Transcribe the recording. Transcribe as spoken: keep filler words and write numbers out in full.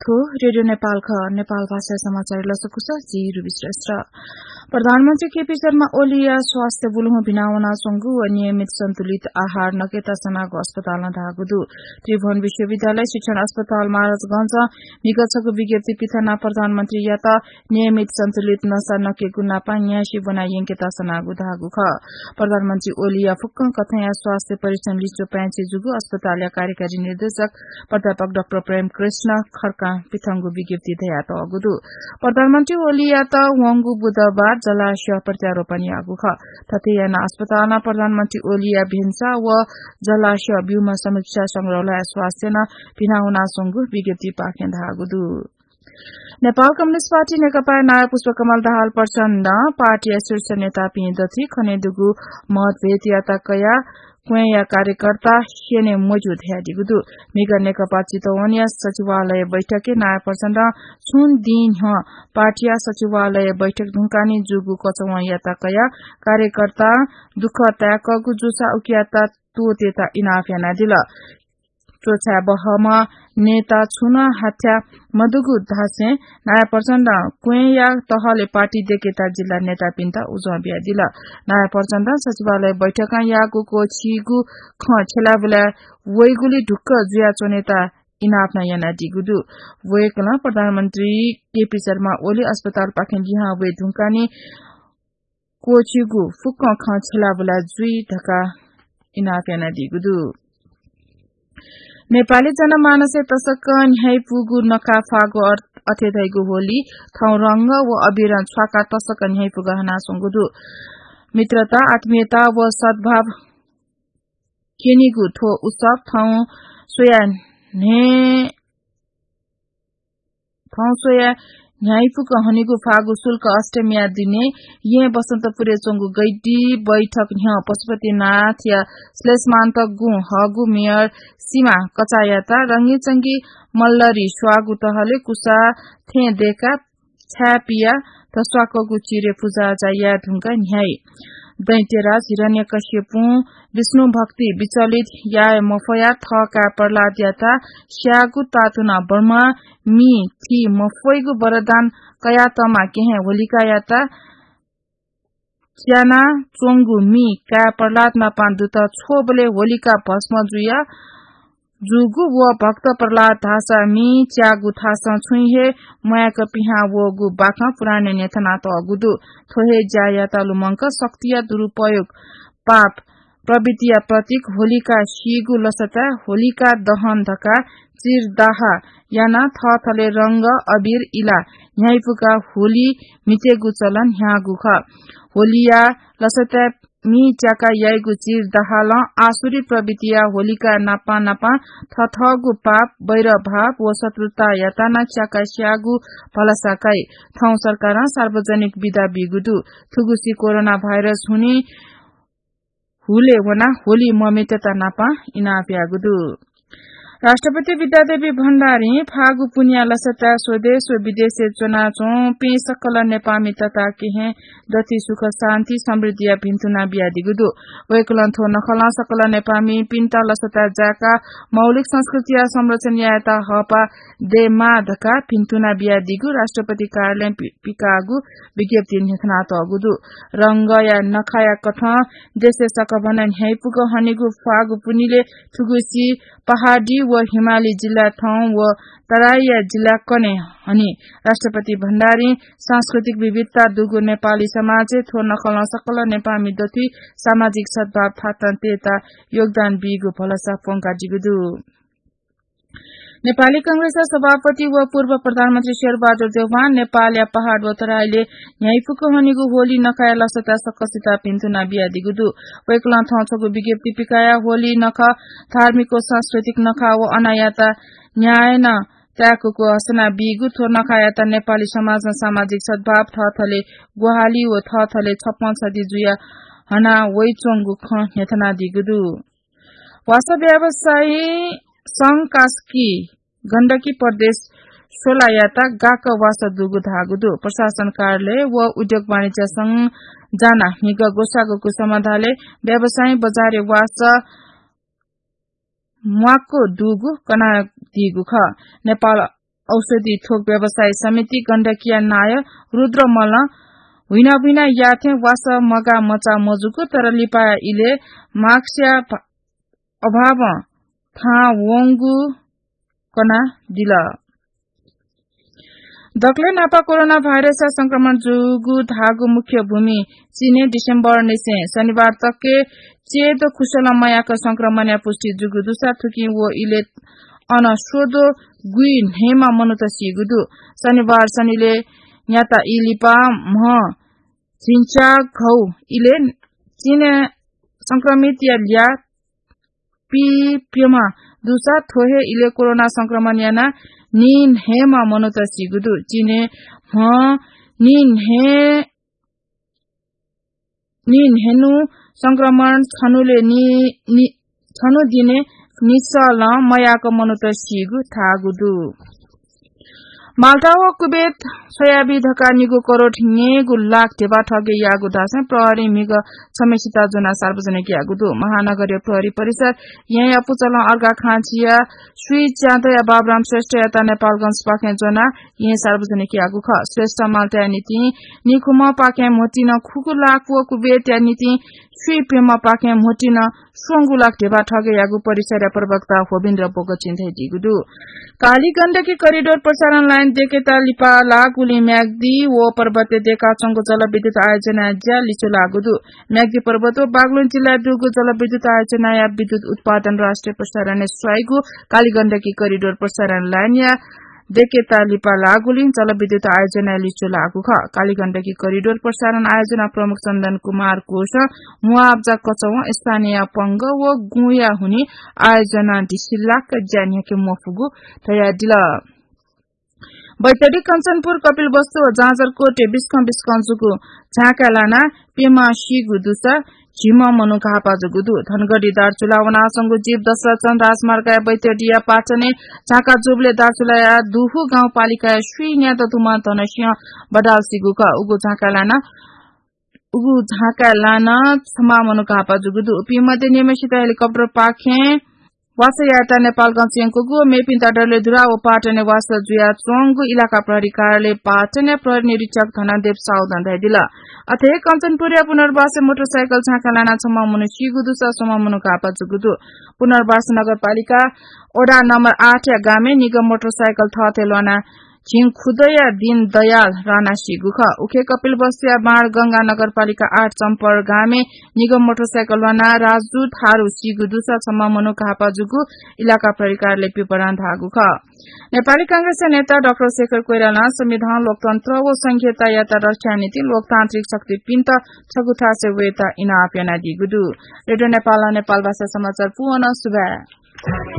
थ्व रेडियो नेपाल खः। नेपाल भाषा समाचार लसकुस, जि रुबी श्रेष्ठ। प्रधानमन्त्री केपी शर्मा ओलीया स्वास्थ्य बुलुहुँ भिनावनाच्वंगु व नियमित सन्तुलित आहार नकेता सनागु अस्पतालं धाःगु दु। त्रिभुवन विश्वविद्यालय शिक्षण अस्पताल महाराजगंजं म्हिगः छगू विज्ञप्ति पिथनाः प्रधानमन्त्रीयात नियमित सन्तुलित नसा नकेगु नापं न्यासि ब्वना यंकेता सनागु धाःगु खः। प्रधानमन्त्री ओलीया फुक्कं कथंया स्वास्थ्य परीक्षण लिच्वः पाय्छि जूगु अस्पतालया कार्यकारी निर्देशक प्राध्यापक डाक्टर प्रेम कृष्ण खड्कां पिथंगु विज्ञप्ति धयातःगु दु। प्रधानमन्त्री ओलीयात वंगु बुधबार जलाशयय् प्रत्यारोपण याःगु खः। थथे यानाः अस्पतालं प्रधानमन्त्री ओलीया भेन्सा व जलाशय ब्यूम्ह समीक्षा संग्रहालय स्वास्थ्यनं भिनावनाच्वंगु विज्ञप्तिपाखें धाःगु दु। नेपाल कम्युनिस्ट पार्टी नेकपाया नायः पुष्पकमल दाहाल प्रचण्डं पार्टीया शीर्ष नेतापिं दथुइ खनेदुगु मतभेदयात कयाः क्वँय्‌या कार्यकर्ता स्यने मज्यू धयादीगु दु। म्हिगः नेकपा चितवनया सचिवालय बैठकय् नायः प्रचण्डं छुं दिं न्ह्यः पार्टीया सचिवालय बैठक धुंकाः नं जूगु कचवँयात कयाः कार्यकर्तां दुःख ताय्‌कःगु जूसा उकियात त्वःतेत इनाप यानादिल। च्वछाये बहःम्ह नेता छुं नं हाथ्याः मदुगु धासें नायः प्रचण्डं क्वँय्‌या तहले पार्टी दय्‌केत जिल्ला नेतापिन्त उजं बियादिल। नायः प्रचण्डं सचिवालय बैठकं याःगु क्वःछिइगु खँ छ्यलाबुलाय् वइगुलिं ढुक्क जुयाच्वनेत इनाप नं यानादीगु दु। वय्‌कलं प्रधानमन्त्री केपी शर्मा ओली अस्पतालपाखें लिहां वये धुंकाः नं क्वःछिइगु फुक्कं खँ छ्यलाबुला जुइ धकाः इनाप यानादीगु दु। नेपाली जनमानसय् तसकं न्ह्याइपुगु नखः फागु अर्थ अथे धइगु होली थौं रंग व अबिरं छ्वाकाः तसकं न्ह्याइपुगु हनाच्वंगु दु। मित्रता, आत्मीयता व सद्भाव क्यनीगु थ्व उत्सव थौं स्वया न्ह्ये थौं स्वया न्ह्याइपुक हनेगु फागु शुक्ल अष्टमीया दिने येँ बसन्तपुरय् च्वंगु गैडी बैठक न्ह्यः पशुपतिनाथया श्लेषमान्तक गुँ हःगु मेयर सिमा कचाःयात रंगीचंगी मल्लरी स्वाःगु तहले कुसा थें दय्‌काः छाय् पियाः धस्वाकःगु चिरय् पुजाआजा याये धुंकाः न्ह्याइ। दैत्यराज हिरण्यकश्यपुं विष्णु भक्ति विचलित याये मफयाः थः काय् प्रह्लादयात स्याःगु तातुना ब्रह्मां मि थी मफइगु वरदान कयातःम्ह केहेँ होलिकायात च्यानाच्वंगु मि काय् प्रह्लाद नापं दुत। छ्वःबलय् होलिका भस्म जुया जूगु व भक्त प्रह्लाद धाःसा मि च्याःगु थासं छुं हे म्वाय्‌क पिहां वःगु बाखं पुराणय् न्ह्यथनातःगु दु। थ्व हे ज्यायात लुमंक शक्तिया दुरुपयोग, पाप प्रवृत्तिया प्रतीक होलिका सीगु लसताय् होलिका दहन धकाः चिरदाह यानाः थःथले रंग, अबिर इलाः न्ह्याइपुकाः होली म्हितेगु चलन न्ह्याःगु खः। होलिया लसताय् मि च्याकाः याइगु चिरदाहलं आसुरी प्रवृत्तिया होलिका नापं नापं थथःगु पाप, वैरभाव व शत्रुतायात नं च्याकाः स्याःगु भलसा काइ। थौं सरकारं सार्वजनिक बिदा बीगु दु। थुगुसी कोरोना भाइरस हुने हुलय् वनाः होली मम्यतेत नापं इनाप याःगु दु। राष्ट्रपति विद्यादेवी भण्डारीं फागु पुन्हिया लसताय् स्वदेश व विदेशय् च्वनाच्वंपिं सकल नेपाःमि तताकेहेँ दथुइ सुख शान्ति समृद्धिया भिन्तुना बियादीगु दु। वय्‌कलं थ्व नखलं सकल नेपाःमिपिन्त लसताय् जाय्‌काः मौलिक संस्कृतिया संरक्षण यायेत हःपाः दयेमाः धकाः भिन्तुना बियादीगु राष्ट्रपति कार्यालयं पि-, पिकाःगु विज्ञप्तिइ न्ह्यथनातःगु दु। रंगया नखाया कथं देशय् सकभनं न्ह्याइपुक हनेगु फागु पुन्हिलय् थुगुसी पहाडी व हिमाली जिल्ला थौं व तराईया जिल्ला कन्हय् हनी। राष्ट्रपति भण्डारीं सांस्कृतिक विविधता दुगु नेपाली समाजय् थ्व नखलं सकल नेपाःमि दथुइ सामाजिक सद्भाव थातं तयेत योगदान बीगु भलसा प्वंकादीगु दु। नेपाली कांग्रेसया सभापति व पूर्व प्रधानमन्त्री शेरबहादुर देउवां नेपालया पहाड व तराईलय् न्ह्याइपुक हनेगु होली नखाया लसताय् सकसित भिन्तुना बियादीगु दु। वय्‌कलं थौं छगू विज्ञप्ति पिकायाः होली नखः धार्मिक व सांस्कृतिक नखः व अनायात न्याय नं ताय्‌कूगु हसना बीगु थ्व नखायात नेपाली समाजं सामाजिक सद्भाव, थःथले ग्वाहालि व थःथले छप्पँ छधि जुयाः हना वइच्वंगु खँ न्ह्यथनादीगु दु। वासः व्यवसायी संघ कास्की गण्डकी प्रदेश सोलायात गाक्क वासः दुगु धाःगु दु। प्रशासन कार्यालय व उद्योग वाणिज्य संघ जानाः म्हिगः ग्वसाःगु समाधालय् व्यवसायी बजारय् वासः म्वाक्क दुगु कनादीगु खः। नेपाल औषधि थोक व्यवसायी समिति गण्डकीया नायः रुद्र मल्लं हुइनाबुइना याथें वासः मगाः मचा मजुगु, तर लिपा इले मास्कया भा-, अभावं थाहां वंगु कनादिल। दकलय् नापा कोरोना भाइरसया संक्रमण जूगु धाःगु मुख्य भूमि चीनय् डिसेम्बर निसें शनिबार तकय् चेदो खुसलं मयाक संक्रमणया पुष्टि जूगु दुसा थुकिं व इले अन स्वदो गुइ न्हय्‌म्ह मनूत सीगु दु। शनिबार सनिले न्याता ई लिपा म्ह झिंच्याघौ इले चीनय् संक्रमितया ल्याः पीप्यम्ह दुसा थ्व हे इले कोरोना संक्रमण यानाः नीन्हय्‌म्ह मनूत सीगु दु। चीनय् म्ह नीन्हय्, नीन्हय्‌न्हु संक्रमण छन्हुले नि, नि, छन्हु दिने निसलं मयाक मनूत सीगु धाःगु दु। माल्टा व कुवेत स्वयाबी धकाः निगू करोड न्यय्‌गू लाख ध्यबा ठगे याःगु धासें प्रहरीं म्हिगः छम्हय्‌सित ज्वनाः सार्वजनिक याःगु दु। महानगरीय प्रहरी परिसर येँया पुचलं अर्घाखाँचीया स्वीच्यादँया बाबुराम श्रेष्ठयात नेपालगंजपाखें ज्वनाः येँ सार्वजनिक याःगु खः। श्रेष्ठ माल्टाया निंतिं निखुम्हपाखें म्होतिं खुगू लाख व कुवेतया निंतिं स्वीप्यम्हपाखें म्होतिं स्वंगू लाख ध्यबा ठगे याःगु परिसरया प्रवक्ता होबिन्द्र बोगचिं धयादीगु दु। काली गण्डकी करिडोर प्रसारण लाइन देकेता लिपा लाःगुलिं म्याग्दी व पर्वतय् देकाच्वंगु जलविद्युत आयोजनाया ज्या लिच्वलाःगु दु। म्याग्दी पर्वत व बागलुङ जिल्लाय् दुगु जलविद्युत आयोजनाया विद्युत उत्पादन राष्ट्रिय प्रसारणय् स्वाइगु काली गण्डकी करिडोर प्रसारण लाइनया देकेता लिपा लाःगुलिं जलविद्युत आयोजनाया लिच्वलाःगु खः। काली गण्डकी करिडोर प्रसारण आयोजना प्रमुख चन्दन कुमार कोषं मुआब्जा कचवं स्थानीय पंगः व गुँया हुनिं आयोजना दिसिलाक ज्या न्ह्याके मफुगु धयादिल। बैतडी, कञ्चनपुर, कपिलवस्तु व जाजरकोटय् बिस्कं बिस्कं जूगु झाँकाय् लानाः प्यम्ह सीगु दुसा झिम्ह मनू घाःपा जूगु दु। धनगढी दार्चुला वनाच्वंगु जीप दशरथ चन्द राजमार्गया बैतडीया पाटनय् झाँका जूबलय् दार्चुलाया दुहु गाउँपालिकाया स्वीन्यादँ दुम्ह धनसिंह बडाल सीगु खः। उगु झाँकाय् लानाः उगु झाँकाय् लानाः छम्ह मनू घाःपा जूगु दु। उपिं मध्ये निम्हसित हेलिकप्टरपाखें वासः यायेत नेपालगंज यंकूगु, मेपिन्त डडेलधुरा व पाटनय् वासः जुयाच्वंगु इलाका प्रहरी कार्यालय पाटनया प्रहरी निरीक्षक धनदेव साउदं धयादिल। अथे हे कञ्चनपुरया पुनर्वासय् मोटरसाइकल झाँकाय् लानाः छम्ह मनू सीगु दुसा स्वम्ह मनू घाःपा जूगु दु। पुनर्वास नगरपालिका वडा नम्बर आठया गामय् निगः मोटरसाइकल थःथें ल्वानाः झिंखुदँया दीनदयाल राणा सीगु खः। उखे कपिलवस्तुया बाणगंगा नगरपालिका आठ चम्पर गामय् निगः मोटरसाइकल ल्वानाः राजु थारु सीगु दुसा छम्ह मनू घाःपा जूगु इलाका प्रहरी कार्यालयं विवरणय् धाःगु खः। नेपाली कांग्रेसया नेता डाक्टर शेखर कोइरालां संविधान, लोकतन्त्र व संघीयतायात रक्षाया निंतिं लोकतान्त्रिक शक्तिपिन्त छगू थासय् वयेत इनाप यानादीगु दु। रेडियो नेपालं नेपालभाषा समाचार पूवं सुभाय्।